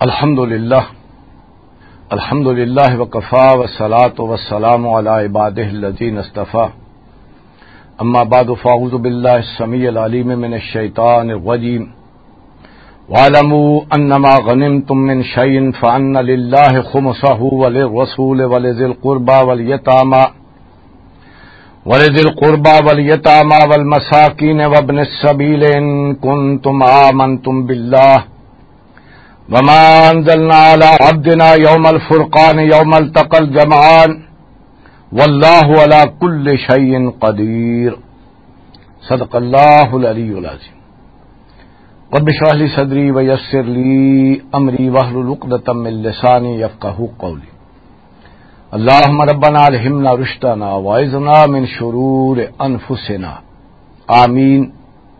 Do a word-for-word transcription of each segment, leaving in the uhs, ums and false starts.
الحمد لله. الحمد لله وكفى والصلاة والسلام على عباده الذين اصطفى. أما بعد فأعوذ بالله السميع العليم من الشيطان الرجيم. واعلموا أنما غنمتم من شيء فأن لله خمسه وللرسول ولذي القربى واليتامى ولذي القربى واليتامى والمساكين وابن السبيل إن كنتم آمنتم بالله وما أنزلنا على عبدنا يوم الفرقان يوم التقى الجمعان والله على كل شيء قدير. صدق الله العلي العظيم. رب اشرح لي صدري ويسر لي أمري واحلل عقدة من لساني يفقهوا قولي. اللهم ربنا ألهمنا رشدنا وأعذنا من شرور أنفسنا. آمين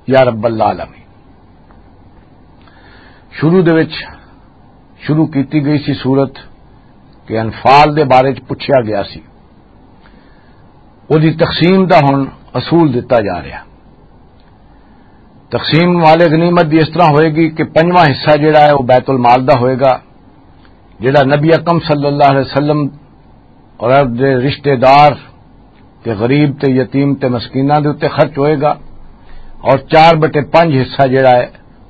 يا رب العالمين. شروع دے وچ شروع کیتی گئی سی سورت کہ انفال دے بارے چ پچھیا گیا سی، او دی تقسیم دا ہن اصول دتا جا رہا۔ تقسیم مال غنیمت دی اس طرح ہوئے گی کہ پنجواں حصہ جڑا ہے، وہ بیت المال دا ہوئے گا، جڑا نبی اکرم صلی اللہ علیہ وسلم اور آپ دے رشتہ دار تے غریب تے یتیم تے مسکیناں دے اُتے خرچ ہوئے گا، اور چار بٹے پنج حصہ جڑا ہے،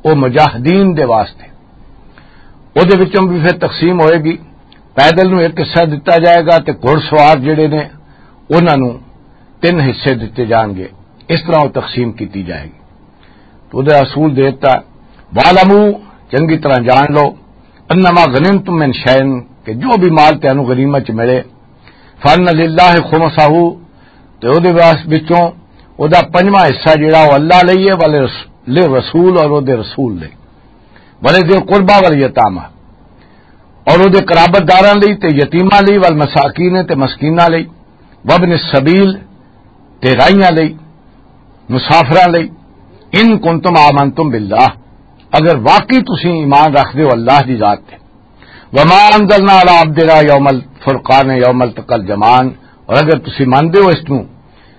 وہ مجاہدین دے واسطے۔ او دے وچوں بھی پھر تقسیم ہوئے گی۔ پیدل نوں ایک حصہ دتا جائے گا تے گھڑ سوار جڑے نے، انہاں نوں تین حصے دتے جان گے۔ اس طرح وہ تقسیم کیتی جائے گی۔ تو وہ اصول دیتا، "وَاعْلَمُوا"، چنگی طرح جان لو، "أَنَّمَا غَنِمْتُم مِّن شَيْءٍ"، کہ جو بھی مال تینوں غنیمت چ ملے، "فَأَنَّ لِلَّهِ خُمُسَهُ"، تے او دے واس وچوں او دا پنجواں حصہ جڑا او اللہ لئی ہے، والے رس-، لے رسول، اور او دے رسول لئی، "وَلِذِي الْقُرْبَى وَالْيَتَامَى"، اور او دے قرابت داراں لئی تے یتیماں لئی، "وَالْمَسَاكِينِ"، تے مسکیناں لئی، "وَابْنِ السَّبِيلِ"، تے راہیاں لئی، مسافراں لئی، "إِن كُنتُمْ آمَنْتُمْ بِاللَّهِ"، اگر واقعی تسی ایمان رکھدے ہو اللہ دی ذات تے، "وَمَا أَنزَلْنَا عَلَىٰ عَبْدِنَا يَوْمَ الْفُرْقَانِ يَوْمَ الْتَقَى الْجَمْعَانِ"، اور اگر تسی ماندے ہو اس نوں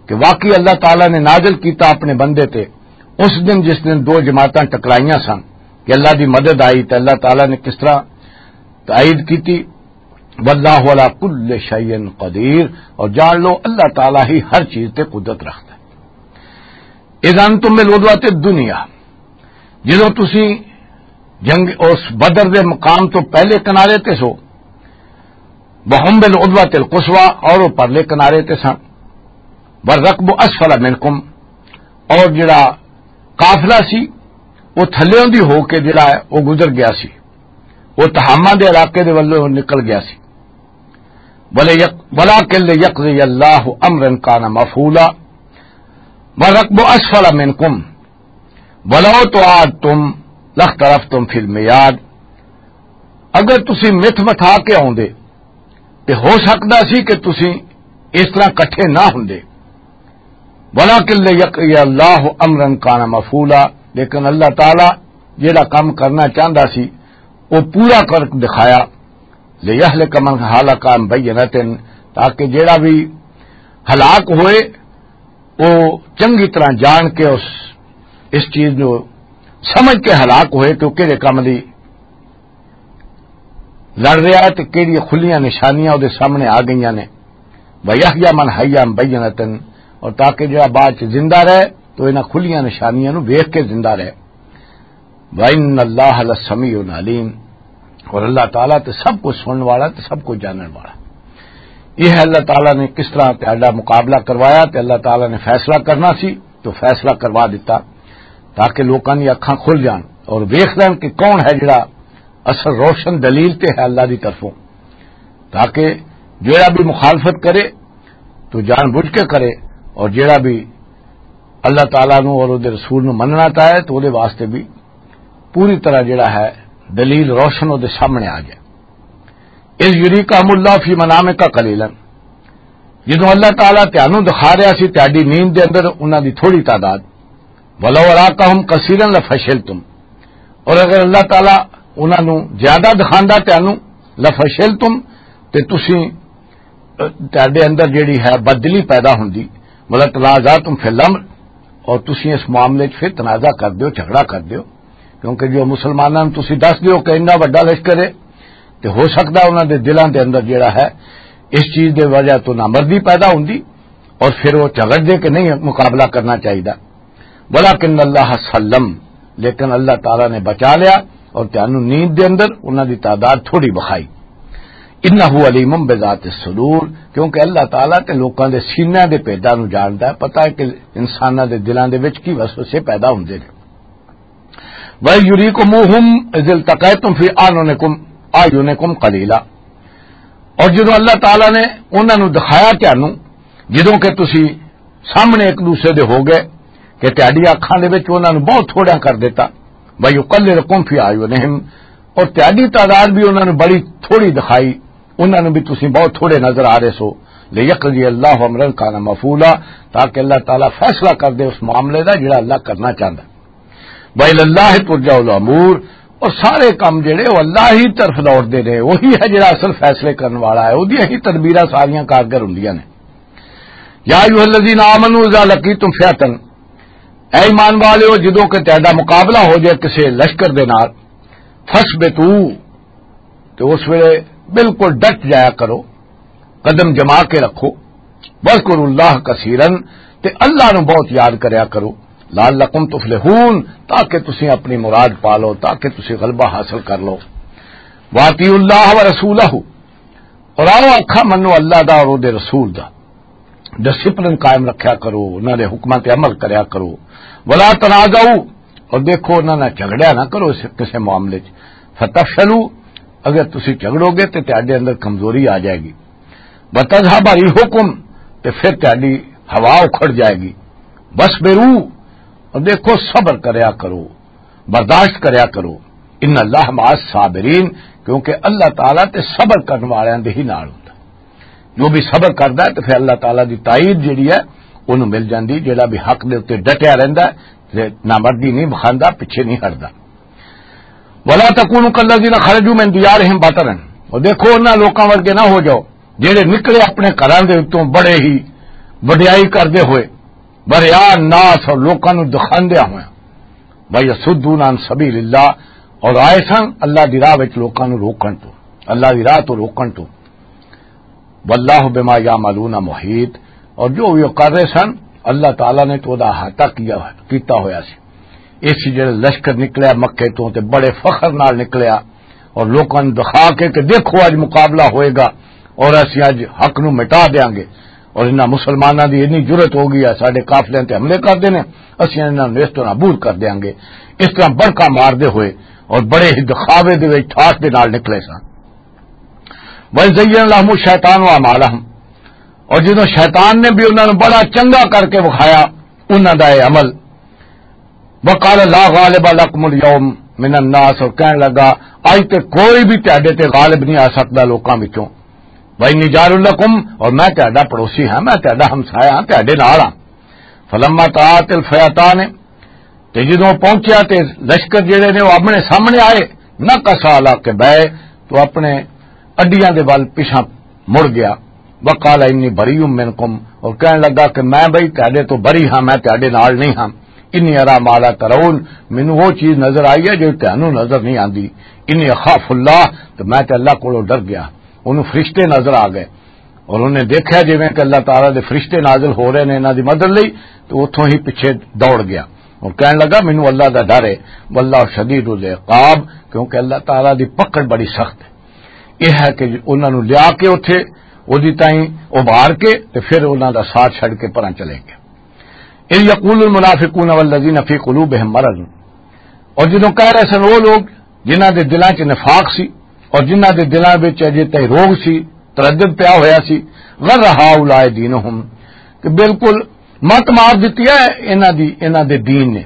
کہ واقعی اللہ تعالیٰ نے نازل کیتا اپنے بندے تے اس دن جس دن دو جماعتاں ٹکرائیاں سن، کہ اللہ دی مدد آئی تے اللہ تعالیٰ نے کس طرح تائید کیتی، "وَاللَّهُ عَلَىٰ كُلِّ شَيْءٍ قَدِيرٌ"، اور جان لو اللہ تعالیٰ ہی ہر چیز تے قدرت رکھتا ہے۔ "إِذْ أَنْتُم بِالْعُدْوَةِ الدُّنْيَا"، جدوں تسی جنگ اس بدر دے مقام تو پہلے کنارے تے سو، "وَهُمْ بِالْعُدْوَةِ الْقُصْوَىٰ"، اور وہ پرلے کنارے تے سن، "وَالرَّكْبُ أَسْفَلَ مِنْكُمْ"، اور جڑا قافلہ سی، وہ تھلیوں دی ہو کے جڑا ہے، وہ گزر گیا سی، وہ تہامہ دے علاقے دے ولوں نکل گیا سی۔ وَلَا يَقْ-، وَلَٰكِن لِّيَقْضِيَ اللَّهُ أَمْرًا كَانَ مَفْعُولًا، وَالرَّكْبُ أَسْفَلَ مِنْكُمْ وَلَوْ تَوَاعَدْتُمْ لَاخْتَلَفْتُمْ فِي الْمِيعَادِ"، اگر تسی متھ متھا کے آوندے تے ہو سکدا سی کہ تسی اس طرح کٹھے نہ ہوندے۔ "وَلَٰكِن لِّيَقْضِيَ اللَّهُ أَمْرًا كَانَ مَفْعُولًا"، لیکن اللہ تعالیٰ جڑا کم کرنا چاہندا سی، وہ پورا کر دکھایا۔ "لِيَهْلِكَ مَنْ هَلَكَ عَن بَيِّنَةٍ"، تاکہ جڑا بھی ہلاک ہوئے، وہ چنگی طرح جان کے اس، اس چیز نو سمجھ کے ہلاک ہوئے کہ وہ کہڑے کم دی لڑ رہا ہے تے کہڑیاں کھلیاں نشانیاں وہ سامنے آ گئیاں نے۔ "وَيَحْيَىٰ مَنْ حَيَّىٰ عَن بَيِّنَةٍ"، اور تاکہ جڑا بعد چ زندہ رہے تو انہاں کھلیاں نشانیاں نو ویکھ کے زندہ رہے۔ "وَإِنَّ اللَّهَ لَسَمِيعٌ عَلِيمٌ"، اور اللہ تعالیٰ تے سب کچھ سنن والا تے سب کچھ جانن والا۔ یہ ہے اللہ تعالیٰ نے کس طرح تہاڈا مقابلہ کروایا تے اللہ تعالیٰ نے فیصلہ کرنا سی تو فیصلہ کروا دیتا، تاکہ لوکاں دی اکھاں کھل جان اور ویکھ لین کہ کون ہے جڑا اصل روشن دلیل تے ہے اللہ دی طرفوں، تاکہ جڑا بھی مخالفت کرے تو جان بوجھ کے کرے، اور جڑا بھی اللہ تعالیٰ نو اور دے رسول نو مننا چاہے تو دے واسطے بھی پوری طرح جڑا ہے دلیل روشن وہ دے سامنے آ جائے۔ "إِذْ يُرِيكَهُمُ اللَّهُ فِي مَنَامِكَ قَلِيلًا"، جدوں اللہ تعالیٰ تانوں دکھا رہا سی تہاڈی نیند دے اندر انہاں دی تھوڑی تعداد، "وَلَوْ أَرَاكَهُمْ كَثِيرًا لَفَشِلْتُمْ"، اور اگر اللہ تعالیٰ انہاں نوں زیادہ دکھاندا تانوں، "لَفَشِلْتُمْ"، تے تسی، اہ، تہاڈے اندر جڑی ہے بدلی پیدا ہوندی، "وَلَتَنَازَعْتُمْ فِي الْأَمْرِ"، اور تسی اس معاملے 'چ پھر تنازع کر دیو، جھگڑا کر دیو۔ کیونکہ جو مسلماناں نوں تسی دس دیو کہ انہاں وڈا لشکر ہے، تے ہو سکدا انہاں دے دلاں دے اندر جڑا ہے، اس چیز دے وجہ تو نامردی پیدا ہوندی اور پھر وہ جھگڑ دے کہ نہیں مقابلہ کرنا چاہیدا۔ ولکن اللہ سلم، لیکن اللہ تعالیٰ نے بچا لیا اور تانوں نیند دے اندر انہاں دی تعداد تھوڑی بخائی۔ انہ علیم بذات الصدور، کیونکہ اللہ تعالیٰ تے لوکاں دے سینیاں دے پیداں نوں جاندا ہے، پتہ ہے کہ انساناں دے دلاں دے وچ کی وسوسے پیدا ہوندے نے۔ وَيُرِيكُمُوهُمْ إِذِ الْتَقَيْتُمْ فِي أَعْيُنِكُمْ، أَعْيُنِكُمْ قَلِيلًا۔ اور جدوں اللہ تعالیٰ نے انہاں نوں دکھایا تانوں، جدوں کہ تسی سامنے ایک دوسرے دے ہو گئے کہ تہاڈی اکھاں دے وچ انہاں نوں بہت تھوڑا کر دیتا۔ وَيُقَلِّلَكُمْ فِي أَعْيُنِهِمْ، اور تہاڈی تعداد بھی انہاں نوں بڑی تھوڑی دکھائی، انہاں نوں بھی تسی بہت تھوڑے نظر آ رہے سو۔ لِيَقْضِيَ اللَّهُ أَمْرًا كَانَ مَفْعُولًا، تاکہ اللہ تعالیٰ فیصلہ کر دے اس معاملے دا جڑا اللہ کرنا چاہندا۔ وَإِلَى اللَّهِ تُرْجَعُ الْأُمُورُ، اور سارے کام جڑے وہ اللہ ہی طرف لوٹدے نے، وہی ہے جڑا اصل فیصلے کرن والا ہے، وہدیاں ہی تدبیراں ساریاں کارگر ہوندیاں نے۔ يَا أَيُّهَا الَّذِينَ آمَنُوا إِذَا لَقِيتُمْ فِئَةً، اے ایمان والےو، جدوں کہ تہاڈا مقابلہ ہو جائے کسے لشکر دے نال، فَاثْبُتُوا، تو اس ویلے بالکل ڈٹ جایا کرو، قدم جما کے رکھو۔ وَاذْكُرُوا اللَّهَ كَثِيرًا، تے اللہ نو بہت یاد کریا کرو۔ لَعَلَّكُمْ تُفْلِحُونَ، تاکہ تسی اپنی مراد پا لو، تاکہ تسی غلبہ حاصل کر لو۔ وَأَطِيعُوا اللَّهَ وَرَسُولَهُ، اور آؤ آکھا منو اللہ دا اور دے رسول دا۔ ڈسپلن قائم رکھیا کرو، انہاں دے حکماں تے عمل کریا کرو۔ وَلَا تَنَازَعُوا، اور دیکھو انہاں نال جھگڑیا نہ کرو اس کسے معاملے چ۔ فَتَفْشَلُوا، اگر تسی جھگڑو گے تے تہاڈے اندر کمزوری آ جائے گی۔ وَتَذْهَبَ رِيحُكُمْ، تے پھر تہاڈی ہوا اکھڑ جائے گی۔ وَاصْبِرُوا، اور دیکھو صبر کریا کرو، برداشت کریا کرو۔ إِنَّ اللَّهَ مَعَ الصَّابِرِينَ، کیونکہ اللہ تعالیٰ تے صبر کرن والیاں دے ہی نال ہوندا۔ جو بھی صبر کردا ہے تے پھر اللہ تعالیٰ دی تائید جڑی ہے انہوں مل جاندی، جڑا بھی حق دے اُتے ڈٹیا رہندا ہے تے نامردی نہیں بخاندا، پیچھے نہیں ہٹدا۔ وَلَا تَكُونُوا كَالَّذِينَ خَرَجُوا مِنْ دِيَارِهِمْ بَطَرًا، اور دیکھو انہاں لوکاں ورگے نہ ہو جاؤ جڑے نکلے اپنے گھراں دے اتوں بڑے ہی وڈیائی کردے ہوئے، بریان ناس، اور لوکاں نوں دکھاندیاں ہوئے۔ وَيَصُدُّونَ عَنْ سَبِيلِ اللَّهِ، اور آئے سن اللہ دی راہ وچ لوکاں نوں روکن تو، اللہ دی راہ تو روکن تو۔ وَاللَّهُ بِمَا يَعْمَلُونَ مُحِيطٌ، اور جو بھی وہ کر رہے سن، اللہ تعالیٰ نے تو دا احاطہ کیا، کیتا ہویا سی۔ اس جڑے لشکر نکلیا مکے تو تے بڑے فخر نال نکلیا، اور لوکاں نوں دکھا کے کہ دیکھو اج مقابلہ ہوئے گا اور اسی اج حق نوں مٹا دیاں گے، اور انہاں مسلماناں دی اتنی جرأت ہو گئی ہے، ساڈے قافلیاں تے حملے کردے نے، اسی انہاں نوں اس طرح نابود کر دیاں گے۔ اس طرح بڑکا مار دے ہوئے اور بڑے ہی دکھاوے دے وچ ٹھاٹ دے نال نکلے سن۔ وَإِذْ زَيَّنَ لَهُمُ الشَّيْطَانُ أَعْمَالَهُمْ، اور جدوں شیطان نے بھی انہاں نوں بڑا چنگا کر کے وکھایا انہاں دا یہ عمل، وقال لا غالب لكم اليوم من الناس، اور کہن لگا، اج تے کوئی بھی تہاڈے تے غالب نہیں آ سکدا لوکاں وچوں۔ وانی جار لکم، اور میں تہاڈا پڑوسی ہاں، میں تہاڈا ہمسایہ ہاں، تہاڈے نال ہاں۔ فلما تراءت الفئتان، تے جدوں پہنچیا تے لشکر جڑے نے وہ اپنے سامنے آئے، نکص علی عقبیہ، تو اپنے اڈیاں دے ول پیچھا مڑ گیا۔ وقال انی بریء منکم، اور کہن لگا کہ میں بھائی تہاڈے تو بری ہاں، میں تہاڈے نال نہیں ہاں۔ انی ارا ما لا ترون، مینوں وہ چیز نظر آئی ہے جو تہانوں نظر نہیں آندی۔ انی اخاف اللہ، تو میں تے اللہ کولوں ڈر گیا۔ انہوں فرشتے نظر آ گئے اور انہیں دیکھا جویں کہ اللہ تعالیٰ دے فرشتے نازل ہو رہے نے انہاں دی مدد لئی، تو اتھوں ہی پیچھے دوڑ گیا اور کہن لگا، مینوں اللہ دا ڈر ہے، واللہ شدید العقاب، کیونکہ اللہ تعالیٰ دی پکڑ بڑی سخت ہے۔ یہ ہے کہ انہاں نوں لیا کے اتھے، اودی تائیں ابھار کے، تے پھر انہاں دا ساتھ چھڈ کے پراں چلے گئے۔ اذ یقول المنافقون والذین فی قلوبہم مرض، اور جدوں کہہ رہے سن وہ لوگ جنہاں دے دلاں 'چ نفاق سی اور جنہاں دے دلاں وچ اجے تائیں روگ سی، تردد پیا ہویا سی، غر ہؤلاء دینہم، کہ بالکل مت مار دتی ہے انہاں دی، انہاں دے دین نے۔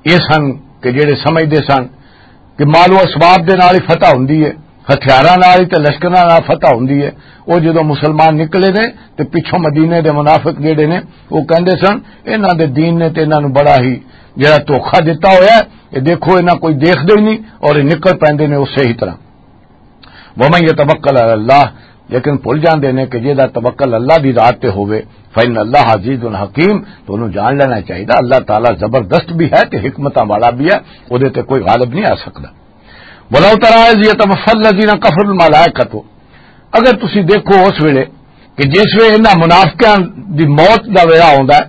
یہ سن کہ جڑے سمجھدے سن کہ مال و اسباب دے نال ہی فتح ہوندی ہے، ہتھیاراں نال ہی تے لشکراں نال فتح ہوندی ہے۔ وہ جدوں مسلمان نکلے نے تے پچھوں مدینے دے منافق جڑے نے، وہ کہندے سن، انہاں دے دین نے تے انہاں نوں بڑا ہی جڑا دھوکا دتا ہویا ہے، یہ دیکھو انہاں کوئی دیکھدے ہی نہیں اور یہ نکل پیندے نے اسی ہی طرح۔ ومن یتوکل علی اللہ، لیکن بھول جاندے نے کہ جے دا توکل اللہ دی ذات تے ہووے، فإن اللہ عزیز حکیم، تو انہوں جان لینا چاہیے، اللہ تعالیٰ زبردست بھی ہے تے حکمتاں والا بھی ہے، او دے تے کوئی غالب نہیں آ سکدا۔ ولو ترى إذ يتوفى الذين كفروا الملائكة، اگر تسی دیکھو اس ویلے کہ جس ویلے انہاں منافقاں دی موت دا ویلا ہوندا ہے،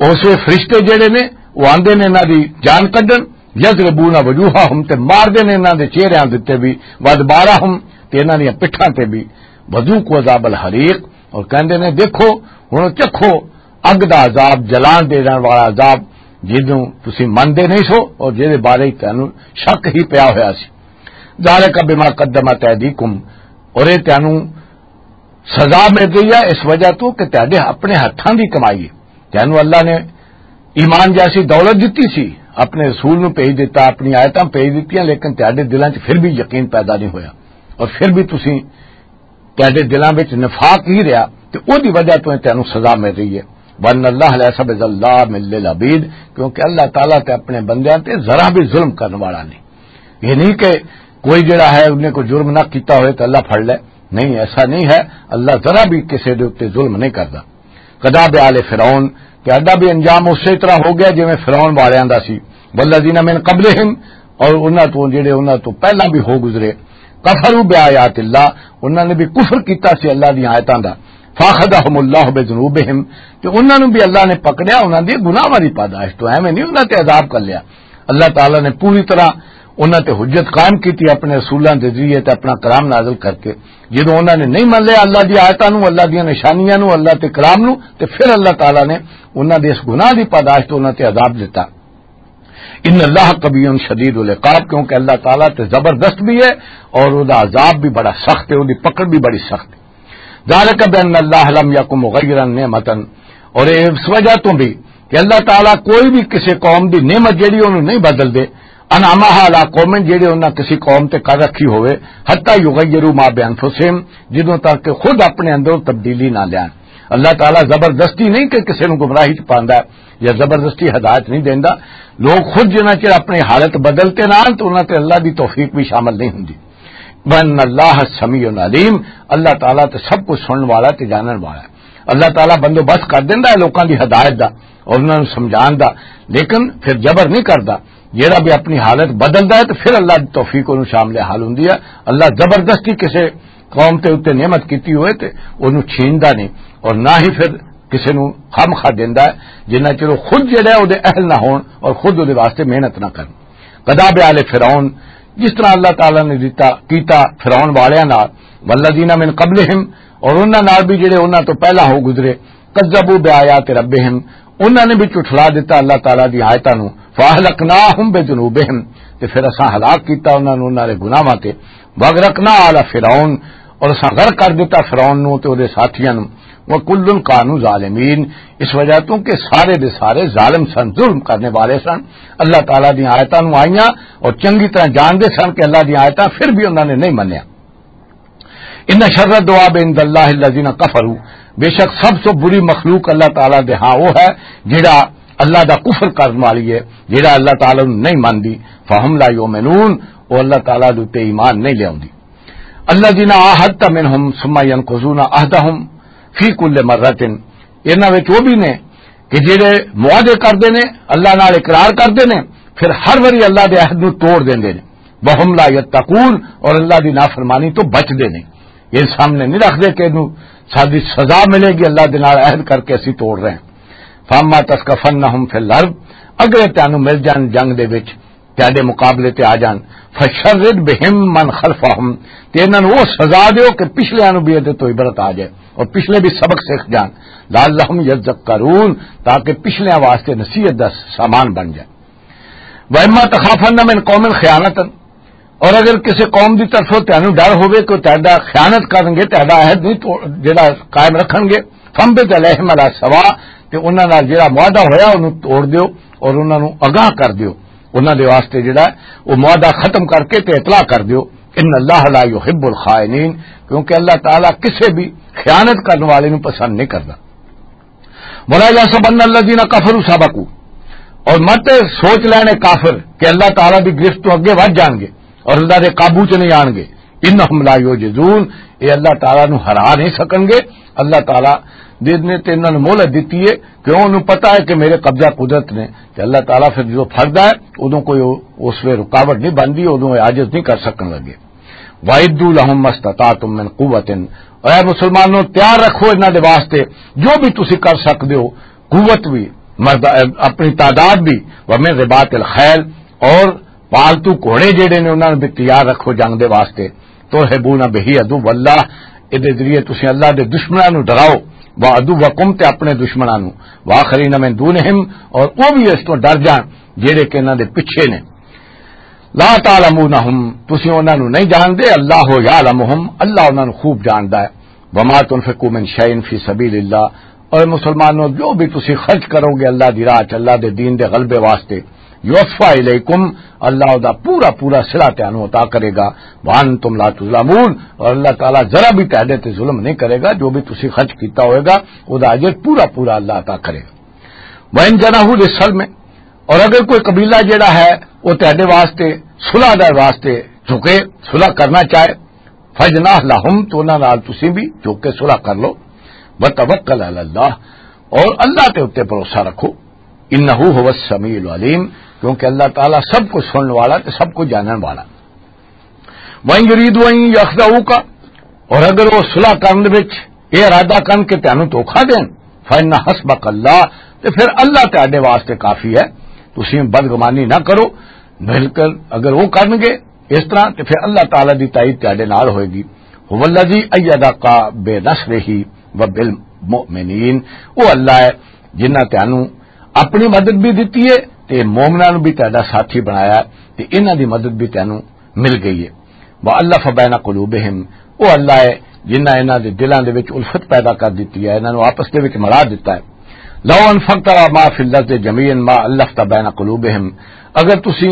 اس ویلے فرشتے جڑے نے، وہ آندے نے انہاں دی جان کڈن، یضربون وجوہہم، تے مار دے نے انہاں دے چہریاں دے تے بھی، وادبارہم، تے انہاں دیاں پٹھاں تے بھی، وذوقوا عذاب الحریق، اور کہندے نے، دیکھو، ہن چکھو اگ دا عذاب، جلان دے رہن والا عذاب، جدوں تسی مندے نہیں سو اور جدے بارے تانوں شک ہی پیا ہویا سی۔ ذالک بما قدمت ایدیکم، اور یہ تانوں سزا مل رہی ہے اس وجہ تو کہ تہاڈے اپنے ہتھاں دی کمائی ہے۔ تانوں اللہ نے ایمان جیسی دولت دتی سی، اپنے رسول نو بھیج دتا، اپنی آیتاں بھیج دتیاں، لیکن تہاڈے دلاں 'چ پھر بھی یقین پیدا نہیں ہویا اور پھر بھی تسی، تہاڈے دلاں وچ نفاق ہی رہیا، تے اوہدی وجہ تو تانوں سزا مل رہی ہے۔ وَأَنَّ اللَّهَ لَيْسَ بِظَلَّامٍ لِّلْعَبِيدِ، کیونکہ اللہ تعالیٰ تے اپنے بندیاں تے ذرا بھی ظلم کرنے والا نہیں۔ یہ نہیں کہ کوئی جڑا ہے، انہیں کوئی جرم نہ کیتا ہوئے تو اللہ پھڑ لے، نہیں، ایسا نہیں ہے۔ اللہ ذرا بھی کسی دے اُتے ظلم نہیں کردا۔ کذب آل فرعون، تے ادا بھی انجام اسی طرح ہو گیا جویں فرعون والیاں دا سی، والذین من قبلہم، اور انہاں تو جڑے انہاں تو پہلاں بھی ہو گزرے، کفروا بآیات اللہ، انہاں نے بھی کفر کیتا سی اللہ دی آیتاں دا، فاخذہم اللہ بذنوبہم، تے انہاں نوں بھی اللہ نے پکڑیا انہاں دی گناہاں دی پاداش تو، ایویں نہیں انہاں تے عذاب کر لیا۔ اللہ تعالیٰ نے پوری طرح انہاں تے حجت قائم کیتی اپنے رسولاں دے ذریعے تے اپنا کلام نازل کر کے۔ جدوں انہاں نے نہیں من لیا اللہ دی آیتاں نوں، اللہ دیاں نشانیاں نوں، اللہ تے کلام نوں، تے پھر اللہ تعالیٰ نے انہاں دے اس گناہ دی پاداش تو انہاں تے عذاب دتا۔ ان اللہ قوی شدید العقاب، کیونکہ اللہ تعالیٰ تے زبردست بھی ہے اور او دا عذاب بھی بڑا سخت ہے، او دی پکڑ بھی بڑی سخت ہے۔ ذالک بان اللہ لم یکن مغیرا نعمتا، اور اے اس وجہ تو بھی کہ اللہ تعالیٰ کوئی بھی کسی قوم دی نعمت جڑی انہوں نہیں بدل دے، انعمہا علی قوم، جڑے انہاں کسی قوم تے کر رکھی ہوئے، حتی یغیروا ما بانفسہم، جدوں تک کہ خود اپنے اندر تبدیلی نہ لیان۔ اللہ تعالیٰ زبردستی نہیں کہ کسی نوں گمراہی چ پاندا ہے یا زبردستی ہدایت نہیں دیندا۔ لوگ خود جنہاں چر اپنی حالت بدلتے نہ آن تو انہاں تے اللہ دی توفیق بھی شامل نہیں ہوندی۔ وَأَنَّ اللَّهَ سَمِيعٌ عَلِيمٌ، اللہ تعالیٰ تے سب کچھ سنن والا تے جانن والا ہے۔ اللہ تعالیٰ بندوبست کر دیندا ہے لوکاں دی ہدایت دا اور انہاں نوں سمجھان دا، لیکن پھر جبر نہیں کردا۔ جیڑا بھی اپنی حالت بدلدا ہے تے پھر اللہ دی توفیق انہوں شامل حال ہوندی ہے۔ اللہ زبردستی کسے قوم تے اُتے نعمت کیتی ہوئے تے انہوں چھیندا نہیں، اور نہ ہی پھر کسے نوں خامخواہ دیندا ہے، جنہ چر وہ خود جڑا ہے، او دے اہل نہ ہون اور خود او دے واسطے محنت نہ کرن۔ کذب آل فرعون، جس طرح اللہ تعالیٰ نے دتا، کیتا فرعون والیاں نال، والذین من قبلہم، اور انہاں نال بھی جڑے انہاں تو پہلا ہو گزرے، کذبوا بآیات ربہم، انہاں نے بھی جھٹلا دتا اللہ تعالیٰ دی آیتاں نوں، فاہلکناہم بذنوبہم، تے پھر اساں ہلاک کیتا انہاں نوں انہاں دے گناہاں تے، واغرقنا آل فرعون، اور اساں غرق کر دتا فرعون نوں تے او دے ساتھیاں نوں، وکل کانوا ظالمین، اس وجہ تو کہ سارے دے سارے ظالم سن، ظلم کرنے والے سن۔ اللہ تعالیٰ دی آیتاں نوں آئیاں اور چنگی طرح جانتے سن کہ اللہ دی آیتاں، پھر بھی انہاں نے نہیں منیا۔ ان شر الدواب عند اللہ الذین کفروا، بے شک سب سے بری مخلوق اللہ تعالیٰ دے ہاں وہ ہے جڑا اللہ دا کفر کرن والی ہے، جڑا اللہ تعالیٰ نوں نہیں مندی۔ فہم لا یؤمنون، وہ اللہ تعالیٰ دے اُتے ایمان نہیں لیاوندی۔ الذین عاہدت منہم ثم ینقضون عہدہم فی کل مرۃ، انہاں وچ وہ بھی نے کہ جڑے معاہدے کردے نے، اللہ نال اقرار کردے نے، پھر ہر واری اللہ دے عہد نوں توڑ دیندے نے۔ وہم لا یتقون، اور اللہ دی نافرمانی تو بچدے نے۔ یہ سامنے نہیں رکھدے کہ اینوں ساڈی سزا ملے گی، اللہ دے نال عہد کر کے اسی توڑ رہے ہیں۔ فاما تثقفنہم فی الارض، اگر تانوں مل جان جنگ دے وچ، تہاڈے مقابلے تے آ جان، فشرد بہم من خلفہم، تے انہاں نوں وہ سزا دیو کہ پچھلیاں نوں بھی ادھر تو عبرت آ جائے اور پچھلے بھی سبق سیکھ جان، لعلہم یذکرون، تاکہ پچھلیاں واسطے نصیحت دا سامان بن جائے۔ واما تخافن من قوم خیانتا، اور اگر کسی قوم دی طرفوں تینوں ڈر ہوئے کہ تہاڈا خیانت کرن گے، تہاڈا عہد نہیں توڑ، جڑا قائم رکھن گے، فانبذ الیہم علی سواء، تے انہاں نال جڑا معاہدہ ہویا انہوں توڑ دیو اور انہاں نوں آگاہ کر دیو، انہاں دے واسطے جڑا ہے وہ معاہدہ ختم کر کے تے اطلاع کر دیو۔ ان اللہ لا یحب الخائنین، کیونکہ اللہ تعالیٰ کسے بھی خیانت کرنے والے نوں پسند نہیں کردا۔ ولا یحسبن الذین کفروا سبقوا، اور مت سوچ لینے کافر کہ اللہ تعالیٰ دی گرفت تو اگے ودھ جان گے اور اللہ دے قابو چ نہیں آن گے۔ انہم لا یعجزون، یہ اللہ تعالیٰ نو ہرا نہیں سکن گے۔ اللہ تعالیٰ دے نے تے انہاں نوں مہلت دتی ہے، کیوں؟ انہوں پتہ ہے کہ میرے قبضہ قدرت نے۔ تے اللہ تعالیٰ پھر جو فردا ہے، ادوں کوئی اس وے رکاوٹ نہیں بندی، ادوں یہ عاجز نہیں کر سکن لگے۔ وَأَعِدُّوا لَهُم مَّا اسْتَطَعْتُم مِّن قُوَّةٍ، اے مسلمانوں، تیار رکھو انہاں دے واسطے جو بھی تسی کر سکدے ہو، قوت بھی، مرد، اپنی تعداد بھی، وَمِن رِّبَاطِ الْخَيْلِ، اور پالتو گھوڑے جڑے نے انہاں نوں بھی تیار رکھو جنگ دے واسطے۔ ترہبون بہ عدو اللہ، اے دے ذریعے تسی اللہ دے دشمناں نوں ڈراؤ، وعدوکم، تے اپنے دشمناں نوں، وآخرین من دونہم، اور او بھی اس تو ڈر جان جڑے کہ انہاں دے پیچھے نے۔ لا تعلمونہم، تسی انہاں نوں نہیں جاندے، اللہ یعلمہم، اللہ انہاں نوں خوب جاندا ہے۔ وما تنفقوا من شیء فی سبیل اللہ، اور مسلمانوں، جو بھی تسی خرچ کرو گے اللہ دی راہ چ، اللہ دے دین دے غلبے واسطے، یوفا الیکم، اللہ دا پورا پورا صلہ تانوں عطا کرے گا، وانتم لا تظلمون، اور اللہ تعالیٰ ذرا بھی تہاڈے تے ظلم نہیں کرے گا، جو بھی تسی خرچ کیتا ہوئے گا، او دا اجر پورا پورا اللہ عطا کرے گا۔ وان جنحوا للسلم، اور اگر کوئی قبیلہ جڑا ہے وہ تہاڈے واسطے، صلح دے واسطے جھکے، صلح کرنا چاہے، فجناح لہم، تو انہاں نال تسی بھی جھک کے صلح کر لو۔ وتوکل علی اللہ، اور اللہ تے اُتے بھروسہ رکھو۔ انہ هو السمیع العلیم، کیونکہ اللہ تعالیٰ سب کچھ سنن والا تے سب کچھ جانن والا۔ وَإِن يُرِيدُوا أَن يَخْدَعُوكَ، اور اگر وہ صلح کرن وچ یہ ارادہ کرن کہ تینوں دھوکا دین، فَإِنَّ حَسْبَكَ اللَّهُ، تے پھر اللہ تہاڈے واسطے کافی ہے۔ تسی بدگمانی نہ کرو، بلکہ اگر وہ کرن گے اس طرح، تے پھر اللہ تعالیٰ دی تائید تہاڈے نال ہوئے گی۔ هُوَ الَّذِي أَيَّدَكَ بِنَصْرِهِ وَبِالْمُؤْمِنِينَ، وہ اللہ ہے جنہاں تینوں اپنی مدد بھی دتی ہے تے مومناں نوں بھی تہاڈا ساتھی بنایا ہے، تے انہاں دی مدد بھی تینوں مل گئی ہے۔ وَأَلَّفَ بَيْنَ قُلُوبِهِمْ، وہ اللہ ہے جنہاں انہاں دے دلاں دے وچ الفت پیدا کر دتی ہے، انہاں نوں آپس دے وچ ملا دتا ہے۔ لَوْ أَنفَقْتَ مَا فِي الْأَرْضِ جَمِيعًا مَا أَلَّفْتَ بَيْنَ قُلُوبِهِمْ، اگر تسی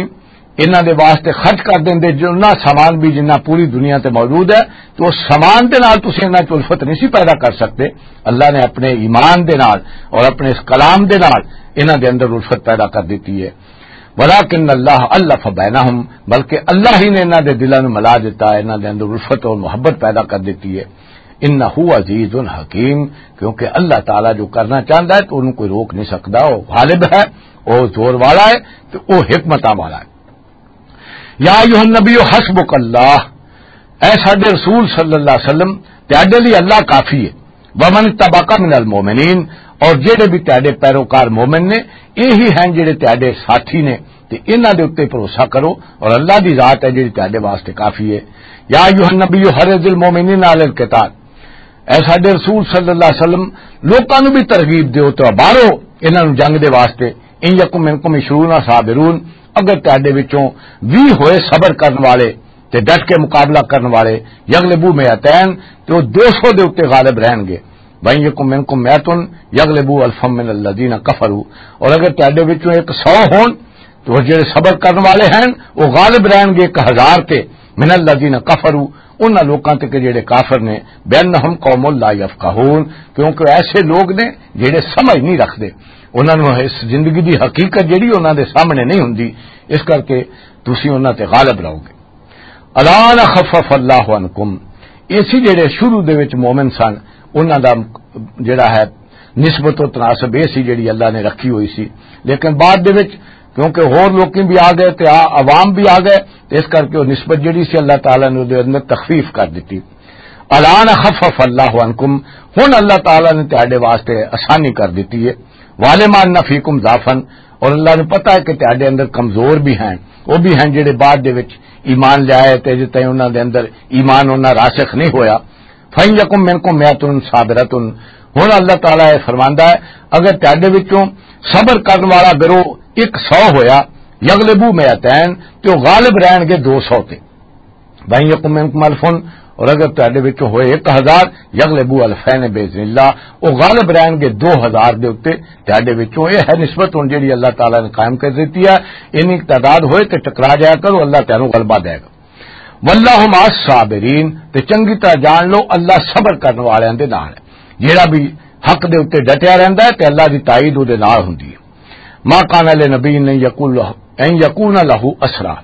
انہاں دے واسطے خرچ کر دیندے جنہ سامان بھی جنہ پوری دنیا تے موجود ہے، تو اس سامان دے نال تسی انہاں چ الفت نہیں سی پیدا کر سکتے۔ اللہ نے اپنے ایمان دے نال اور اپنے اس کلام دے نال انہاں دے اندر الفت پیدا کر دتی ہے۔ وَلَٰكِنَّ اللَّهَ أَلَّفَ بَيْنَهُمْ، بلکہ اللہ ہی نے انہاں دے دلاں نوں ملا دتا ہے، انہاں دے اندر الفت اور محبت پیدا کر دتی ہے۔ انہ عزیز حکیم، کیونکہ اللہ تعالیٰ جو کرنا چاہتا ہے تو انہوں کوئی روک نہیں سکتا۔ وہ غالب ہے، وہ زور والا ہے، تو وہ حکمتاں والا ہے۔ یا ایھا النبی حسبک اللہ، اے ساڈے رسول صلی اللہ علیہ وسلم، تیاڈے لئی اللہ کافی ہے۔ ومن تبعک من المؤمنین، اور جڑے بھی تیاڈے پیروکار مومن نے، یہی ہیں جڑے تیاڈے ساتھی نے، تے انہاں دے اُتے بھروسہ کرو، اور اللہ دی ذات ہے جڑی تیاڈے واسطے کافی ہے۔ یا ایھا النبی حرض المؤمنین علی القتال، اے ساڈے رسول صلی اللہ علیہ وسلم، لوکاں نوں بھی ترغیب دیو تے ابھارو انہاں نوں جنگ دے واسطے۔ ان یکم منکم عشرون صابرون، اگر تہاڈے وچوں ویہہ ہوئے صبر کرن والے تے ڈٹ کے مقابلہ کرن والے، یغلبو مئتین، تے او دو سو دے اُتے غالب رہن گے۔ وَإِن يَكُن مِّنكُم مِّائَةٌ يَغْلِبُوا أَلْفًا مِّنَ الَّذِينَ كَفَرُوا، اور اگر تہاڈے وچوں ایک سو ہون، تو وہ جڑے صبر کرن والے ہیں، وہ غالب رہن گے ایک ہزار تے، مِّنَ الَّذِينَ كَفَرُوا، انہاں لوکاں تے کہ جڑے کافر نے، بِأَنَّهُمْ قَوْمٌ لَّا يَفْقَهُونَ، کیونکہ ایسے لوگ نے جڑے سمجھ نہیں رکھدے، انہاں نوں اس زندگی دی حقیقت جڑی انہاں دے سامنے نہیں ہوندی، اس کر کے تسی انہاں تے غالب رہو گے۔ الان خفف اللہ عنکم، ایسی جڑے شروع دے وچ مومن سن، انہاں دا جڑا ہے نسبت و تناسب ایسی جڑی اللہ نے رکھی ہوئی سی، لیکن بعد دے وچ کیونکہ ہور لوکی بھی آ گئے تے آ-، عوام بھی آ گئے، تے اس کر کے وہ نسبت جڑی سی اللہ تعالیٰ نے اودے اندر تخفیف کر دیتی۔ الان خفف اللہ عنکم، ہن اللہ تعالیٰ نے تہاڈے واسطے آسانی کر دیتی ہے۔ وَعَلِمَ أَنَّ فِيكُمْ ضَعْفًا، اور اللہ نوں پتہ ہے کہ تہاڈے اندر کمزور بھی ہیں، وہ بھی ہیں جڑے بعد دے وچ ایمان لے آئے تے اجے تائیں انہاں دے اندر ایمان انہاں راسخ نہیں ہویا۔ فَإِن يَكُن مِّنكُم مِّائَةٌ صَابِرَةٌ، ہن اللہ تعالیٰ یہ فرماندا ہے، اگر تہاڈے وچوں صبر کرن والا گروہ ایک سو ہویا، یغلبو مئتین، تے وہ غالب رہن گے دو سو تے۔ وَإِن يَكُن مِّنكُمْ أَلْفٌ، اور اگر تہاڈے وچوں ہوئے ایک ہزار، یغلبو أَلْفَيْنِ بِإِذْنِ اللَّهِ، وہ غالب رہن گے دو ہزار دے اُتے تہاڈے وچوں۔ یہ ہے نسبت ہن جڑی اللہ تعالیٰ نے قائم کر دتی ہے۔ اینی تعداد ہوئے تے ٹکرا جایا کرو، اللہ تینوں غلبہ دے گا۔ وَاللَّهُ مَعَ الصَّابِرِينَ، تے چنگی طرح جان لو اللہ صبر کرن والیاں دے نال ہے۔ جڑا بھی حق دے اُتے ڈٹیا رہندا ہے تے اللہ دی تائید اودے نال ہوندی ہے۔ مَا كَانَ لِنَبِيٍّ أَن يَكُونَ لَهُ، أَن يَكُونَ لَهُ أَسْرَىٰ،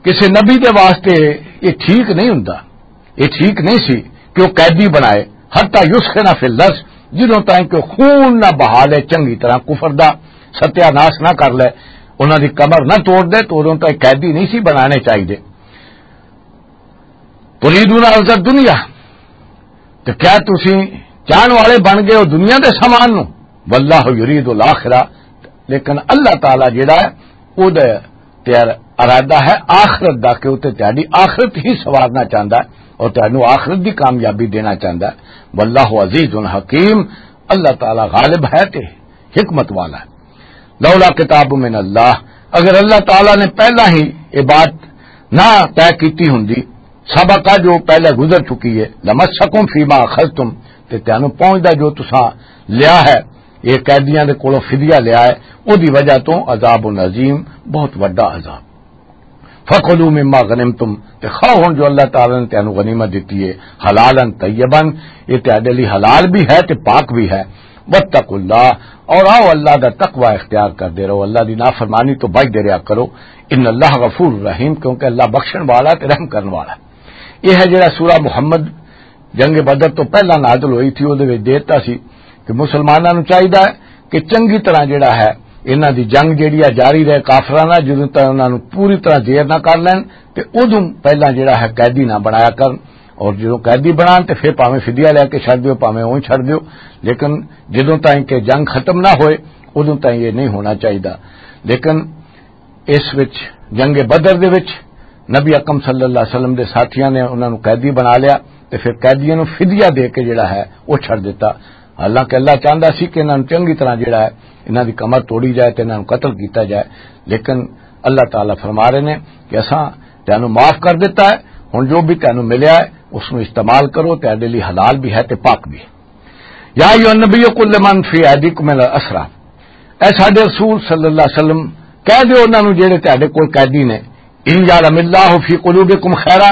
کسے نبی دے واسطے یہ ٹھیک نہیں ہوندا، یہ ٹھیک نہیں سی کہ وہ قیدی بنائے، حتی یسخن فی الارض، جدوں تائیں کہ خون نہ بہا لے، چنگی طرح کفر دا ستیہ ناش نہ کر لے، انہاں دی کمر نہ توڑ دے، تو ادوں تائیں قیدی نہیں سی بنانے چاہیے۔ تریدون عرض الدنیا، تو کیا تسی چاہن والے بن گئے ہو دنیا دے سامان نو؟ واللہ یرید الاخرہ، لیکن اللہ تعالیٰ جڑا ہے، او دے تیار ارادہ ہے آخرت دا، کہ او تے تہاڈی آخرت ہی سوارنا چاہندا ہے اور تہانوں آخرت دی کامیابی دینا چاہندا ہے۔ واللہ عزیز حکیم، اللہ تعالیٰ غالب ہے تے حکمت والا ہے۔ لولا کتاب من اللہ، اگر اللہ تعالیٰ نے پہلا ہی یہ بات نہ طے کیتی ہوندی، سبق جو پہلے گزر چکی ہے، لمسکم فیما اخذتم، تے تانوں پہنچدا جو تساں لیا ہے، یہ قیدیاں دے کولوں فدیہ لیا ہے، او دی وجہ تو عذاب عظیم، بہت وڈا عذاب۔ فکلوا مما غنمتم، تے کھاؤ ہن جو اللہ تعالیٰ نے تانوں غنیمت دتی ہے، حلالا طیبا، یہ تہاڈے لئی حلال بھی ہے تے پاک بھی ہے۔ واتقوا اللہ، اور آؤ اللہ دا تقوی اختیار کردے رہو، اللہ دی نافرمانی تو بچدے رہیا کرو۔ ان اللہ غفور رحیم، کیونکہ اللہ بخشن والا تے رحم کرن والا۔ یہ ہے جڑا سورہ محمد جنگ بدر تو پہلا نازل ہوئی تھی، او دے وچ دیتا سی کہ مسلماناں نوں چاہیدا ہے کہ چنگی طرح جڑا ہے، انہاں دی جنگ جڑی ہے جاری رہے کافراں نال، جدوں تک انہاں نوں پوری طرح زیر نہ کر لین، تے ادوں پہلا جڑا ہے قیدی نہ بنایا کرن، اور جدوں قیدی بنان تے پھر پاویں فدیہ لے کے چھڈ دیو، پاویں اونج چھڈ دیو، لیکن جدوں تائیں کہ جنگ ختم نہ ہوئے، ادوں تائیں یہ نہیں ہونا چاہیدا۔ لیکن اس وچ، جنگ بدر دے وچ، نبی اکرم صلی اللہ علیہ وسلم دے ساتھیاں نے انہاں نوں قیدی بنا لیا تے پھر قیدیاں نوں فدیہ دے کے جڑا ہے، وہ چھڈ دتا۔ حالانکہ اللہ چاہندا سی کہ انہاں نوں چنگی طرح جڑا ہے، انہاں دی کمر توڑی جائے تے انہاں نوں قتل کیتا جائے، لیکن اللہ تعالیٰ فرما رہے نے کہ اساں تینوں معاف کر دتا ہے، ہن جو بھی تینوں ملیا ہے، اس نوں استعمال کرو، تیرے لئی حلال بھی ہے تے پاک بھی ہے۔ یا ایھا النبی قل لمن فی ایدیکم من الاسری، اے ساڈے رسول صلی اللہ علیہ وسلم، کہہ دیو انہاں نوں جڑے تہاڈے کول قیدی نے، ان یعلم اللہ فی قلوبکم خیرا،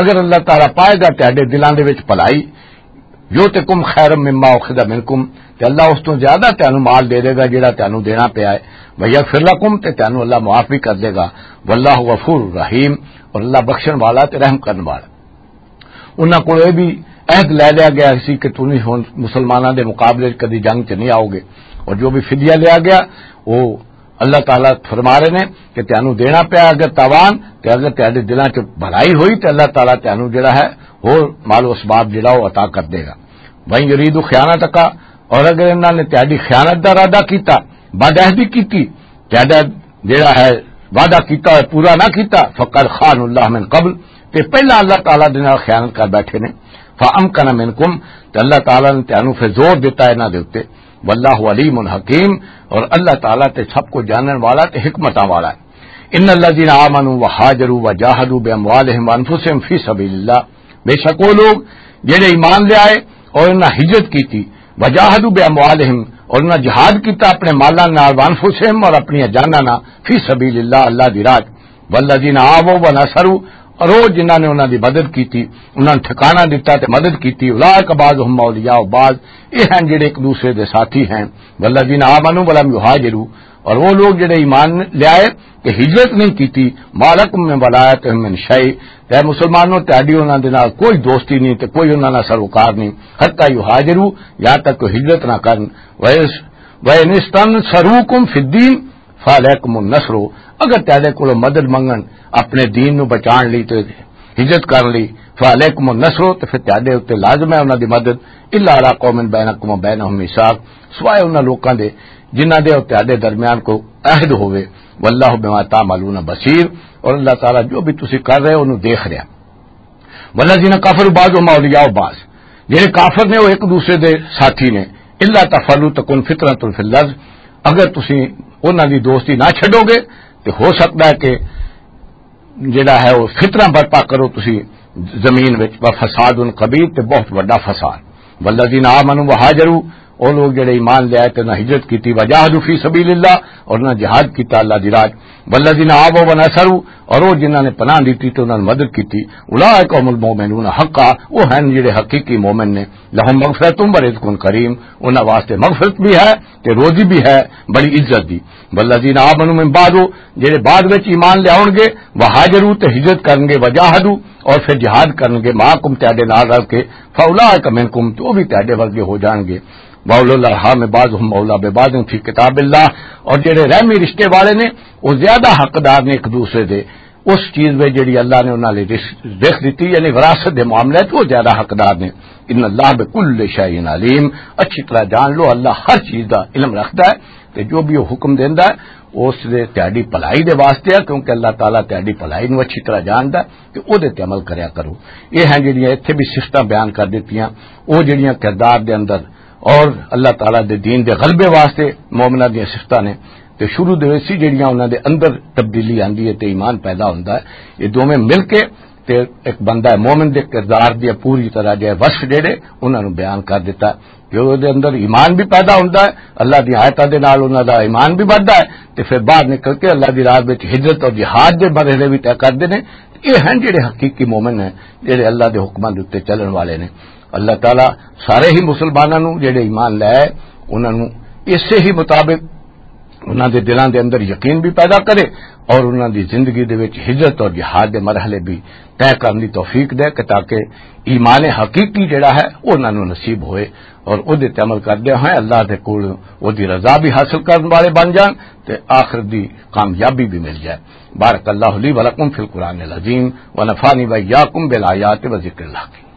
اگر اللہ تعالیٰ پائے گا تہاڈے دلاں دے وچ بھلائی، یؤتکم خیرا مما اخذ منکم، تے اللہ اس تو زیادہ تانوں مال دے دے گا جڑا تانوں دینا پیا ہے، ویغفر لکم، تے تانوں اللہ معاف بھی کر دے گا، واللہ غفور رحیم، اور اللہ بخشن والا تے رحم کرن والا۔ انہاں کول یہ بھی عہد لے لیا گیا سی کہ تسی ہن مسلماناں دے مقابلے 'چ کدی جنگ 'چ نہیں آؤ گے، اور جو بھی فدیہ لیا گیا، وہ اللہ تعالیٰ فرما رہے نے کہ تانوں دینا پیا اگر تاوان، تے اگر تہاڈے دلاں 'چ بھلائی ہوئی تے اللہ تعالیٰ تانوں جڑا ہے، ہور مال و اسباب جڑا وہ عطا کر دے گا۔ وَإِن يُرِيدُوا خِيَانَتَكَ، اور اگر انہاں نے تہاڈی خیانت دا ارادہ کیتا، بدعہدی کیتی، تہاڈا جڑا ہے وعدہ کیتا ہویا پورا نہ کیتا، فقد خان اللہ من قبل، تے پہلا اللہ تعالیٰ دے نال خیانت کر بیٹھے نے۔ فامکن منکم، تے اللہ تعالیٰ نے تانوں پھر زور دیتا انہاں دے اُتے۔ واللہ علیم حکیم، اور اللہ تعالیٰ تے سب کچھ جانن والا تے حکمتاں والا ہے۔ ان الذین آمنوا وہاجروا وجاہدوا باموالہم وانفسہم فی سبیل اللہ، بے شک وہ لوگ جڑے ایمان لے آئے اور انہاں ہجرت کیتی، وجاہدوا باموالہم، اور انہاں جہاد کیتا اپنے مالاں نال، وانفسہم، اور اپنی جاناں نال، فی سبیل اللہ، اللہ دی راہ، والذین آووا ونصروا، اور وہ جنہاں نے انہاں دی مدد کیتی، انہاں نے ٹھکانہ دتا تے مدد کیتی، اولئک بعضهم اولیاء بعض، یہ ہیں جڑے ایک دوسرے دے ساتھی ہیں، والذین آمنوا ولم یہاجروا، اور وہ لوگ جڑے ایمان لے آئے تے ہجرت نہیں کیتی، ما لکم من ولایتہم من شیء، تے مسلمانوں تہاڈی انہاں دے نال کوئی دوستی نہیں تے کوئی انہاں نال سروکار نہیں، حتی یہاجروا، یہاں تک کہ ہجرت نہ کرن، وَإِنِ اسْتَنصَرُوكُمْ فِي الدِّينِ فَعَلَيْكُمُ النَّصْرُ، اگر تہاڈے کولوں مدد منگن اپنے دین نو بچان لئی تے ہجرت کرن لئی، فَعَلَيْكُمُ النَّصْرُ، تے پھر تہاڈے اُتے لازم ہے انہاں دی مدد، إِلَّا عَلَىٰ قَوْمٍ بَيْنَكُمْ وَبَيْنَهُمْ مِيثَاقٌ، سوائے انہاں لوکاں دے جنہاں دے اور تہاڈے درمیان کوئی عہد ہووے، وَاللَّهُ بِمَا تَعْمَلُونَ بَصِيرٌ، اور اللہ تعالیٰ جو بھی تسی کر رہے ہو، انہوں دیکھ رہا۔ والذین کفروا بعضهم اولیاء بعض، جڑے کافر نے وہ ایک دوسرے دے ساتھی نے، الا تفعلوا تکن فتنۃ فی الارض، اگر تسی انہاں دی دوستی نہ چھڈو گے تے ہو سکتا ہے کہ جڑا ہے وہ فتنہ برپا کرو تسی زمین وچ، و فساد کبیر، تے بہت بڑا فساد۔ والذین آمنوا وہاجروا، او لوگ جڑے ایمان لے آئے تے نہ ہجرت کیتی، وجاہدوا فی سبیل اللہ، اور نہ جہاد کیتا اللہ دی راہ۔ والذین آووا ونصروا، اور وہ جنہاں نے پناہ دیتی تے انہاں نے مدد کیتی، اولئک هم المؤمنون حقا، وہ ہیں جڑے حقیقی مومن نے۔ لهم مغفرۃ و رزق کریم، انہاں واسطے مغفرت بھی ہے تے روزی بھی ہے بڑی عزت دی۔ والذین آمنوا من بعد، جڑے بعد وچ ایمان لے آؤن گے، وہاجروا، تے ہجرت کرن گے، وجاہدوا، اور پھر جہاد کرن گے، معکم، تہاڈے نال رل کے، فاولئک منکم، تو وہ بھی تہاڈے ورگے ہو جان گے۔ واولو الارحام بعضهم اولی ببعض فی کتاب اللہ، اور جڑے رحمی رشتے والے نے، وہ زیادہ حقدار نے ایک دوسرے دے اس چیز میں جڑی اللہ نے انہاں لئی رس-، رزق دتی، یعنی وراثت دے معاملے 'چ وہ زیادہ حقدار نے۔ ان اللہ بکل شیء علیم، اچھی طرح جان لو، اللہ ہر چیز دا علم رکھدا ہے، تے جو بھی وہ حکم دیندا ہے، اس دے تہاڈی بھلائی دے واسطے ہے، کیونکہ اللہ تعالیٰ تہاڈی بھلائی نوں اچھی طرح جاندا ہے، تے او دے تے عمل کریا کرو۔ یہ ہیں جڑیاں اتھے بھی صفتاں بیان کر دتیاں، او جڑیاں کردار دے اندر اور اللہ تعالیٰ دے دین دے غلبے واسطے مومناں دیاں صفتاں نے۔ تے شروع دے وچ سی جڑیاں انہاں دے اندر تبدیلی آندی ہے تے ایمان پیدا ہوندا ہے۔ یہ دوویں مل کے تے ایک بندہ مومن دے کردار دی پوری طرح جے وصف جڑے انہاں نوں بیان کر دیتا کہ او دے اندر ایمان بھی پیدا ہوندا ہے، اللہ دی آیتاں دے نال انہاں دا ایمان بھی بڑھدا ہے، تے پھر باہر نکل کے اللہ دی راہ وچ ہجرت اور جہاد دے مرحلے بھی طے کردے نے۔ یہ ہیں جڑے حقیقی مومن ہیں، جڑے اللہ دے حکماں دے اُتے چلن والے نے۔ اللہ تعالیٰ سارے ہی مسلماناں نوں جڑے ایمان لے آئے، انہاں نوں اسے ہی مطابق انہاں دے دلاں دے اندر یقین بھی پیدا کرے اور انہاں دی زندگی دے وچ ہجرت اور جہاد دے مرحلے بھی طے کرن دی توفیق دے کہ تاکہ ایمان حقیقی جڑا ہے، وہ انہاں نوں نصیب ہوئے اور او دے تے عمل کردے ہوئے اللہ دے کول او دی رضا بھی حاصل کرن والے بن جان تے آخرت دی کامیابی بھی مل جائے۔ بارک اللہ لی ولکم فی القرآن العظیم، ونفعنی وإیاکم بالآیات و ذکر الحکیم۔